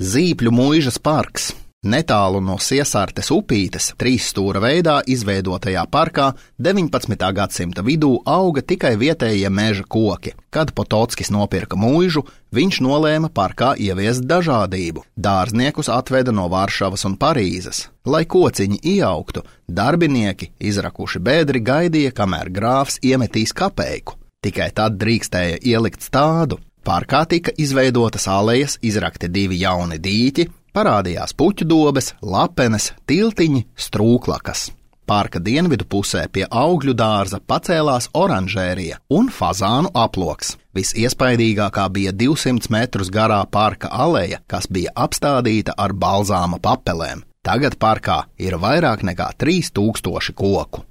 Zīpļu muižas parks. Netālu no Siesartes upītes, 3 stūra veidā izveidotajā parkā 19. gadsimta vidū auga tikai vietējie meža koki. Kad Potockis nopirka muižu, viņš nolēma parkā ieviest dažādību. Dārzniekus atveda no Varšavas un Parīzes. Lai kociņi ieaugtu, darbinieki, izrakuši bēdri, gaidīja, kamēr grāfs iemetīs kapeiku. Tikai tad drīkstēja ielikt stādu. Parkā tika izveidotas alejas, izrakti 2 jauni dīķi, parādījās puķu dobes, lapenes, tiltiņi, strūklakas. Parka dienvidu pusē pie augļu dārza pacēlās oranžērija un fazānu aploks. Visiespaidīgākā bija 200 metrus garā parka aleja, kas bija apstādīta ar balzāma papelēm. Tagad parkā ir vairāk nekā 3000 koku.